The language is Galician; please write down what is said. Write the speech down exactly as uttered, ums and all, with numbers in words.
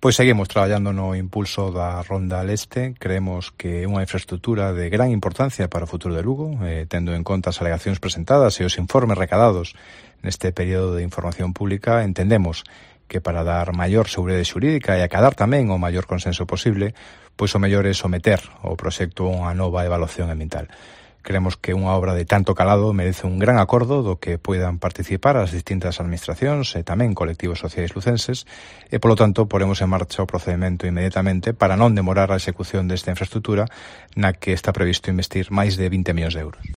Pois seguimos traballando no impulso da Ronda Leste. Creemos que é unha infraestructura de gran importancia para o futuro de Lugo, eh, tendo en conta as alegacións presentadas e os informes recadados neste período de información pública. Entendemos que para dar maior seguridade xurídica e acadar tamén o maior consenso posible, pois o mellor é someter o proxecto a unha nova evaluación ambiental. Creemos que unha obra de tanto calado merece un gran acordo do que poidan participar as distintas administracións e tamén colectivos sociais lucenses e, polo tanto, poremos en marcha o procedimento inmediatamente para non demorar a execución desta infraestructura na que está previsto investir máis de vinte millóns de euros.